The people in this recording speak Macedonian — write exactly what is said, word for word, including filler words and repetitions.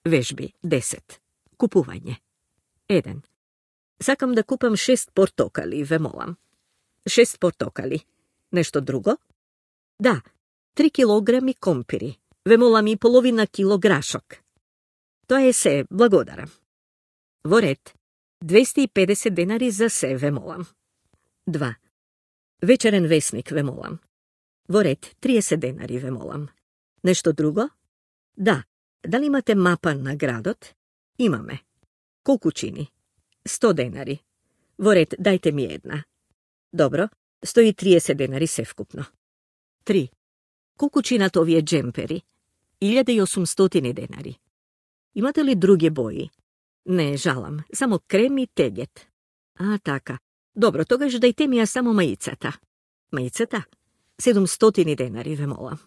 Вежби десет. Купување. еден. Сакам да купам шест портокали, ве молам. Шест портокали. Нешто друго? Да, три килограми компири. Ве молам и половина кило грашок. Тоа е се, благодарам. Во ред, двесте и педесет денари за се, ве молам. два. Вечерен весник, ве молам. Во ред, триесет денари, ве молам. Нешто друго? Да. Дали имате мапа на градот? Имаме. Колку чини? сто денари. Во ред, дајте ми една. Добро, сто и триесет денари севкупно. три. Колку чинат овие джемпери? илјада и осумстотини денари. Имате ли други бои? Не, жалам, само крем и тегет. А, така. Добро, тогаш дајте ми ја само маицата. Маицата? седумстотини денари, ве молам.